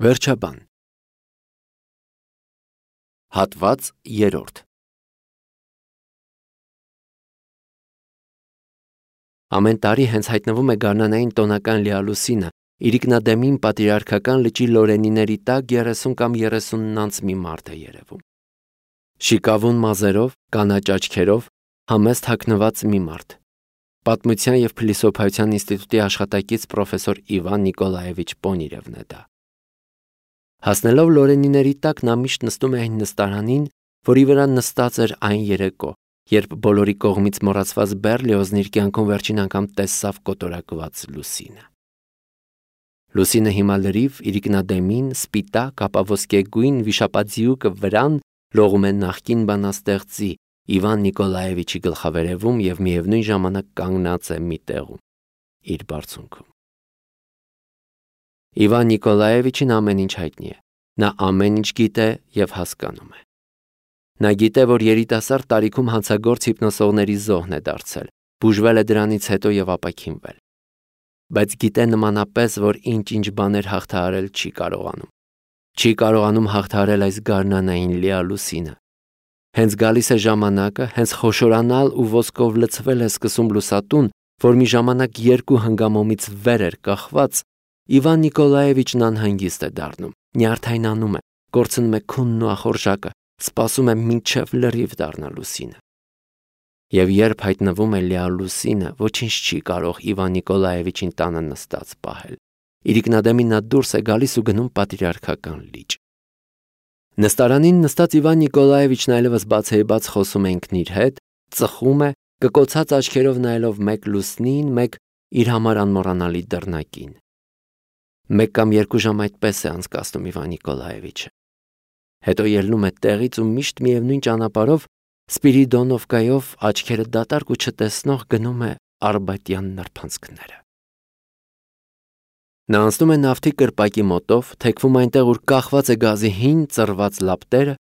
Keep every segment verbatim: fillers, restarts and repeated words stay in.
Վերջաբան Հատված երրորդ Ամեն տարի հենց հայտնվում է գարնանային տոնական լիալուսինը, իրիկնադեմին պատրիարքական լճի լորենիների տակ երեսուն կամ երեսուննանց մի մարդ է երևում։ Շիկավուն մազերով, կանաչ աչքերով, համեստ հագնված մի մարդ։ Պատմության և փիլիսոփայության ինստիտուտի աշխատակից պրոֆեսոր Իվան Նիկոլաևիչ Պոնիրևն է դա։ Հասնելով լորենիների տակ նա միշտ նստում է այն նստարանին, որի վրա նստած էր այն երեկո, երբ բոլորի կողմից մոռացված Բեռլիոզն իր կյանքում վերջին անգամ տեսավ կոտորակված լուսինը։ Լուսինը հիմա լրիվ, իրիկնադեմին, սպիտակ, ապաոսկեգույն վիշապաձիուկը վրան լողում է նախկին բանաստեղծի Իվան Նիկոլաևիչի գլխավերևում և միևնույն ժամանակ կանգնած է մի տեղում, իր բարձունքում։ Իվան Նիկոլաևիչին ամեն ինչ հայտնի է, նա ամեն ինչ գիտե և հասկանում է։ Նա գիտե, որ երիտասարդ տարիքում հանցագործ հիպնոսողների զոհն է դարձել, բուժվել է դրանից հետո և ապաքինվել։ Բայց գիտե նմանապես, որ ինչ-ինչ բաներ հաղթահարել չի կարողանում։ Չի կարողանում հաղթահարել այս գարնանային լիալուսինը։ Հենց գալիս է ժամանակը, հենց խոշորանալ ու ոսկով լցվել է սկսում լուսատուն, որ մի ժամանակ երկու հնգամոմից վեր էր կախված, Իվան Նիկոլաևիչն անհանգիստ է դառնում, նյարդայնանում է, կորցնում է քունն ու ախորժակը, սպասում է մինչև լրիվ դառնա լուսինը։ Եվ երբ հայտնվում է լիալուսինը, ոչինչ չի կարող Իվան Նիկոլաևիչին տանը նստած պահել։ Իրիկնադեմին նա դուրս է գալիս ու գնում պատրիարքական լիճ։ Նստարանին նստած Իվան Նիկոլաևիչն այլևս բացեիբաց խոսում է ինքն իր հետ, ծխում է, կկոցած աչքերով նայելով մեկ լուսնին, մեկ իր համար անմոռանալի դռնակին։ Մեկ կամ երկու ժամ այդպես է անցկացնում Իվան Նիկոլաևիչը։ Հետո ելնում է տեղից ու միշտ միևնույն ճանապարհով Սպիրիդոնովկայով աչքերը դատարկ ու չտեսնող գնում է Արբատյան նրբանցքները։ Նա անցնում է նավթի կրպակի մոտով, թեքվում այնտեղ, ուր կախված է գազի հին ծռված լապտերը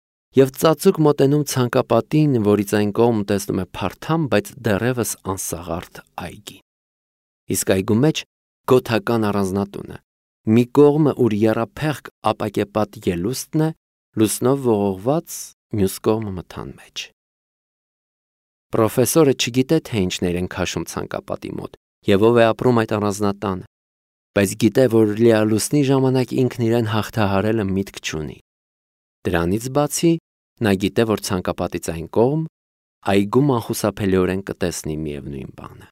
և ծածուկ մոտենում ցանկապատին, որից այն կողմ տեսնում է փարթամ, բայց դեռևս անսաղարթ այգին։ Իսկ այգու մեջ գոթական առանձնատունը, մի կողմը, ուր եռափեղկ ապակեպատ ելուստն է, լուսնով ողողված, մյուս կողմը մթան մեջ։ Պրոֆեսորը չգիտե, թե ինչներ են քաշում ցանկապատի մոտ և ով է ապրում այդ առանձնատանը, բայց գիտե, որ լիալուսնի ժամանակ ինքն իրեն հաղթահարելը միտք չունի։ Դրանից բացի, նա գիտե, որ ցանկապատից այն կողմ այգում անխուսափելիորեն կտեսնի միևնույն բանը։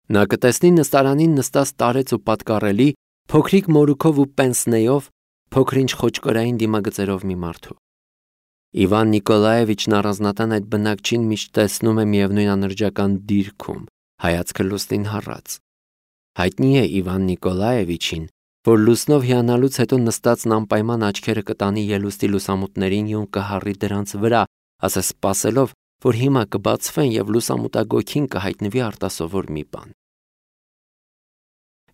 Նա կտեսնի նստարանին նստած տարեց ու պատկառելի, փոքրիկ մորուքով ու պենսնեով, փոքր-ինչ խոճկորային դիմագծերով մի մարդու։ Իվան Նիկոլաևիչն առանձնատան այդ բնակչին միշտ տեսնում է միևնույն անրջական դիրքում, հայացքը լուսնին հառած։ Հայտնի է Իվան Նիկոլաևիչին, որ լուսնով հիանալուց հետո նստածն անպայման աչքերը կտանի ելուստի լուսամուտներին ու կհառի դրանց վրա, ասես սպասելով, որ հիմա կբացվեն և լուսամուտագոգին կհայտնվի արտասովոր մի բան։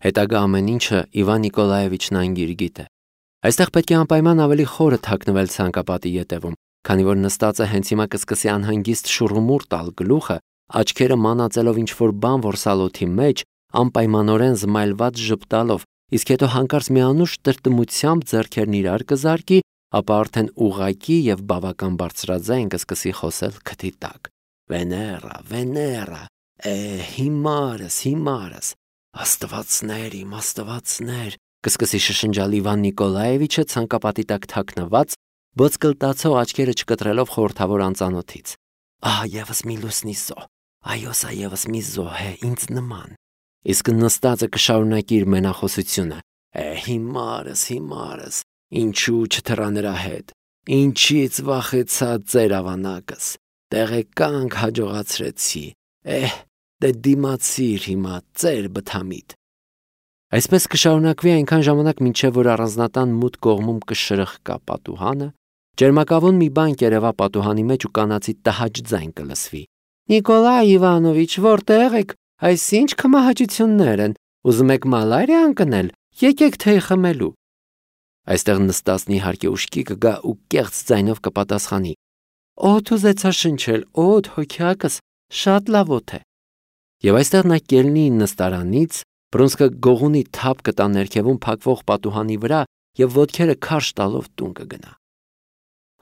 Հետագա ամեն ինչը Իվան Նիկոլաևիչն անգիր գիտե։ Այստեղ պետք է անպայման ավելի խորը թաքնվել ցանկապատի ետևում, քանի որ նստածը հենց հիմա կսկսի անհանգիստ շուռումուռ տալ գլուխը, աչքերը մանածելով ինչ-որ բան որսալոթի մեջ, անպայմանորեն զմայլված ժպտալով, իսկ հետո հանկարծ մի անուշ տրտմությամբ ձեռքերն իրար կզարկի, ապա արդեն ուղղակի և բավական բարձրաձայն կսկսի խոսել քթի տակ. Վեներա, Վեներա, է, հիմարս, հիմարս, աստվածներ իմ, աստվածներ, կսկսի շշնջալ Իվան Նիկոլաևիչը ցանկապատի տակ թաքնված, բոցկլտացող աչքերը չկտրելով խորհրդավոր անծանոթից։ Ահա ևս մի լուսնի զոհ, այո, սա ևս մի զոհ է, ինձ նման։ Իսկ նստածը կշարունակի իր մենախոսությունը. Է, հիմարս, հիմարս, ինչու չթռա նրա հետ, ինչից վախեցա ձեր ավանակս, տեղեկանք հաջողացրեցի, էհ, դե դիմացիր հիմա, ծեր բթամիտ։ Այսպես կշարունակվի այնքան ժամանակ, մինչև որ առանձնատան մութ կողմում կշրխկա պատուհանը, ճերմակավուն մի բան կերևա պատուհանի մեջ ու կանացի տհաճ ձայն կլսվի. Նիկոլայ Իվանովիչ, որտեղ եք, այս ինչ քմահաճություններ են, ուզում եք մալարիա ընկնել, եկեք թեյ խմելու։ Այստեղ նստածն իհարկե ուշքի կգա ու կեղծ ձայնով կպատասխանի. Օդ ուզեցա շնչել, օդ հոգյակս, շատ լավ օդ է։ Եվ այստեղ նա կելնի նստարանից, Բրոնսկը գողունի թափ կտա ներքևում փակվող պատուհանի վրա եւ ոտքերը քարշ տալով տուն կգնա։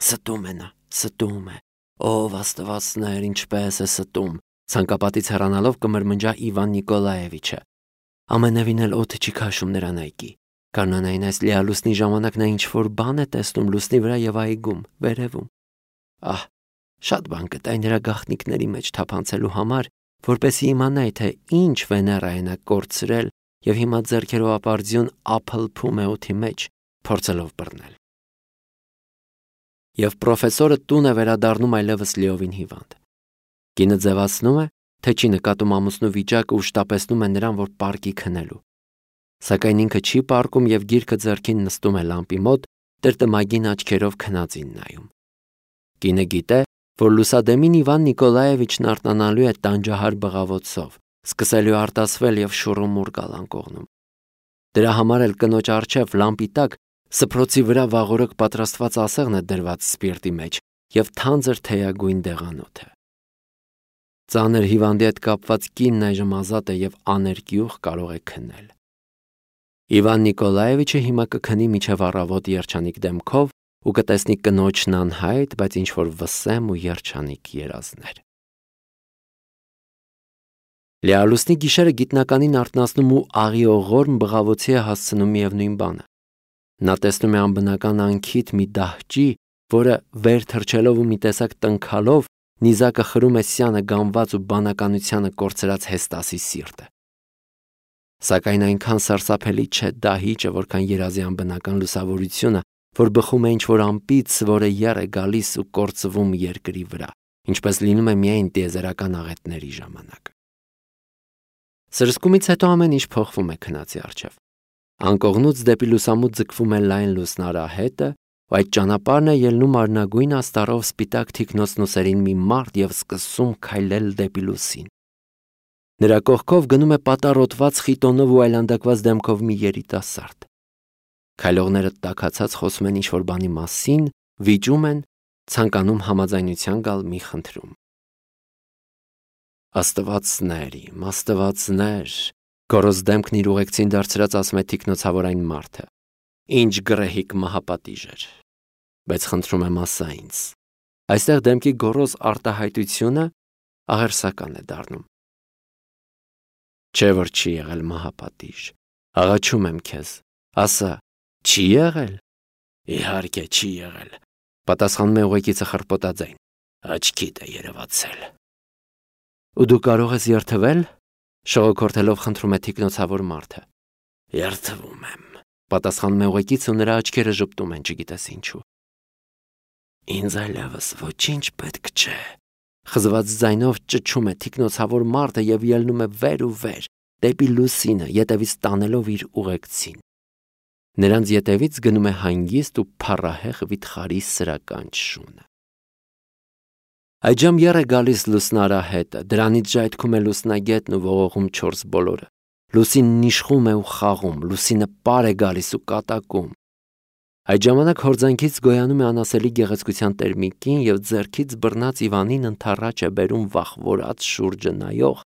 Ստում է նա, ստում է։ Ով աստվածներ, ինչպես է ստում։ Ցանկապատից հեռանալով կմրմնջա Իվան Նիկոլաևիչը։ Ամենևին էլ օդը չի քաշում նրան այգի։ Կանանային այս լիալուսնի ժամանակ նա ինչ-որ բան է տեսնում լուսնի վրա եւ այգում, վերևում։ Ահ, շատ բան կտայի նրա գաղտնիքների մեջ թափանցելու համար, որպեսզի իմանայի, թե ինչ Վեներա է նա կորցրել եւ հիմա ձեռքերով ապարդյուն ափլփում է օդի մեջ, փորձելով բռնել։ Եվ պրոֆեսորը տուն է վերադառնում այլևս լիովին հիվանդ։ Կինը ձևացնում է, թե չի նկատում ամուսնու վիճակը ու շտապեցնում է նրան, որ պարկի քնելու։ Սակայն ինքը չի պարկում եւ գիրքը ձեռքին նստում է լամպի մոտ, տրտմագին աչքերով քնածին նայում։ Կինը գիտե, որ լուսադեմին Իվան Նիկոլաևիչն արտանալու է տանջահար բղավոցով, սկսելու արտասվել եւ շուռումուռ գալ անկողնում։ Դրա համար էլ կնոջ առջև լամպի տակ սփռոցի վրա վաղորոք պատրաստված ասեղն է դրված սպիրտի մեջ եւ թանձր թեյագույն դեղանոթը։ Ծանր հիվանդի հետ կապված կինն այժմ ազատ է եւ աներկյուղ կարող է քնել։ Իվան Նիկոլաևիչը հիմա կքնի միջև առավոտ երջանիկ դեմքով ու կտեսնի կնոջն անհայտ, բայց ինչ-որ վսեմ ու երջանիկ երազներ։ Լիալուսնի գիշերը գիտնականին արթնացնում ու աղիողորմ բղավոցի է հասցնում միևնույն բանը։ Նա տեսնում է անբնական անքիթ մի դահճի, որը վեր թռչելով ու մի տեսակ տնքալով նիզակը խրում է սյանը գամված ու բանականությանը կորցրած Հեստասի սիրտը։ Սակայն այնքան սարսափելի չէ դահիճը, որքան երազի անբնական լուսավորությունը, որ բխում է ինչ-որ ամպից, որը եռ է գալիս ու կործվում երկրի վրա, ինչպես լինում է միայն տիեզերական աղետների ժամանակ։ Սրսկումից հետո ամեն ինչ փոխվում է քնածի առջև։ Անկողնուց դեպի լուսամուտ ձգվում է լայն լուսնարահետը, ու այդ ճանապարհն է ելնում արնագույն աստառով սպիտակ թիկնոցնուսերին մի մարդ եւ սկսում քայլել դեպի լուսին։ Նրա կողքով գնում է պատառոտված խիտոնով ու այլանդակված դեմքով մի երիտասարդ։ Քայլողները տաքացած խոսում են ինչ-որ բանի մասին, վիճում են, ցանկանում համաձայնության գալ մի խնդրում։ Աստվածներ իմ, աստվածներ, գոռոզ դեմքն իր ուղեկցին դարձրած ասում է թիկնոցավոր այն մարդը։ Ինչ գրեհիկ մահապատիժ էր, բայց խնդրում եմ ասա ինձ։ Այստեղ դեմքի գոռոզ արտահայտությունը աղերսական է դառնում։ Չէ որ չի եղել մահապատիժ, աղաչում եմ քեզ, ասա, չի եղել։ Իհարկե չի եղել, պատասխանում է ուղեկիցը խռպոտաձայն, աչքիդ է երևացել։ Ու դու կարող ես երդվել, շողոքորթելով խնդրում է թիկնոցավոր մարդը։ Երդվում եմ, պատասխանում է ուղեկիցը ու նրա աչքերը ժպտում են, չգիտես ինչու։ Ինձ այլևս ոչինչ պետք չէ, խզված ձայնով ճչում է թիկնոցավոր մարդը եւ ելնում է վեր ու վեր, դեպի լուսինը, ետևից տանելով իր ուղեկցին։ Նրանց ետևից գնում է հանգիստ ու փառահեղ վիթխարի սրական շունը։ Այժմ եռ է գալիս լուսնարահետը, դրանից ժայթքում է լուսնագետն ու ողողում չորս բոլորը։ Լուսինն իշխում է ու խաղում, լուսինը պար է գալիս ու կատակում։ Այդ ժամանակ հորձանքից գոյանում է անասելի գեղեցկության տերմիկին եւ ձեռքից բռնած Իվանին ընթառաջ է բերում վախվորած շուրջը նայող,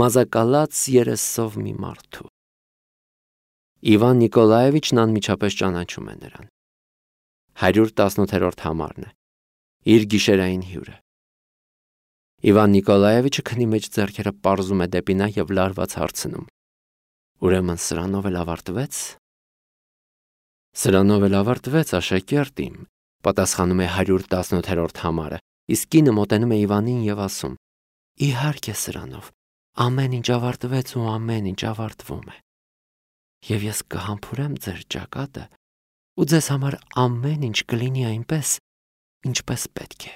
մազակալած երեսով մի մարդու։ Իվան Նիկոլաևիչն անմիջապես ճանաչում է նրան։ հարյուր տասնութերորդ համարն է, իր գիշերային հյուրը։ Իվան Նիկոլաևիչը քնի մեջ ձեռքերը պարզում է դեպի նա եւ լարված հարցնում. Ուրեմն սրանով էլ ավարտվեց։ Սրանով էլ ավարտվեց, աշակերտ իմ, պատասխանում է հարյուր տասնութերորդ համարը, իսկ կինը մոտենում է Իվանին եւ ասում. Իհարկե սրանով, ամեն ինչ ավարտվեց ու ամեն ինչ ավարտվում է։ Եվ ես կհամբուրեմ ձեր ճակատը ու ձեզ համար ամեն ինչ կլինի այնպես, ինչպես պետք է։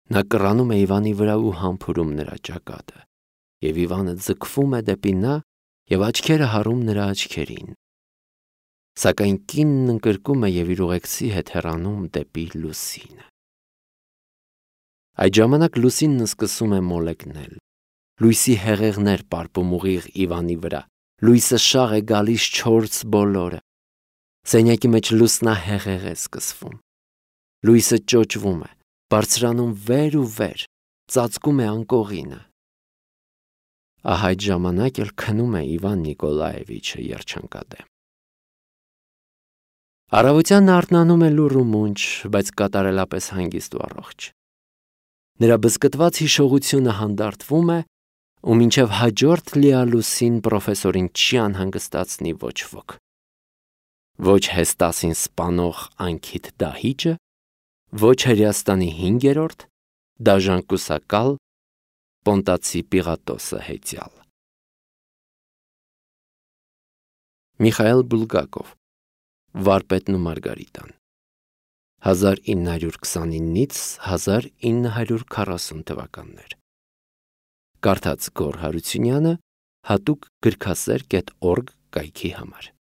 Նա կռանում է Իվանի վրա ու համբուրում նրա ճակատը, եւ Իվանը ձգվում է դեպի նա եւ աչքերը հառում նրա աչքերին։ Սակայն կինն ընկրկում է եւ իր ուղեկցի հետ հեռանում դեպի լուսինը։ Այդ ժամանակ լուսինն սկսում է մոլեգնել։ Լույսի հեղեղներ պարպում ուղիղ Իվանի վրա։ Լույսը շաղ է գալիս չորս բոլորը։ Սենյակի մեջ լուսնահեղեղ է սկսվում։ Լույսը ճոճվում է, բարձրանում վեր ու վեր, ծածկում է անկողինը։ Ահա այդ ժամանակ էլ քնում է Իվան Նիկոլաևիչը երջանկադեմ։ Առավոտյան արթնանում է լուռ ու մունջ, բայց կատարելապես հանգիստ ու առողջ։ Նրա բզկտված հիշողությունը հանդարտվում է, ու մինչև հաջորդ լիալուսին պրոֆեսորին չի անհանգստացնի ոչ ոք։ Ոչ Հեստասին սպանող անքիթ դահիճը, ոչ Հրեաստանի հինգերորդ դաժան Պոնտացի Պիղատոսը հեծյալ։ Միխայել Բուլգակով, Վարպետն ու Մարգարիտան, հազար ինը հարյուր քսանինից հազար ինը հարյուր քառասուն թվականներ։ Կարդաց Գոռ Հարությունյանը, հատուկ գրքասեր կետ օրգ կայքի համար։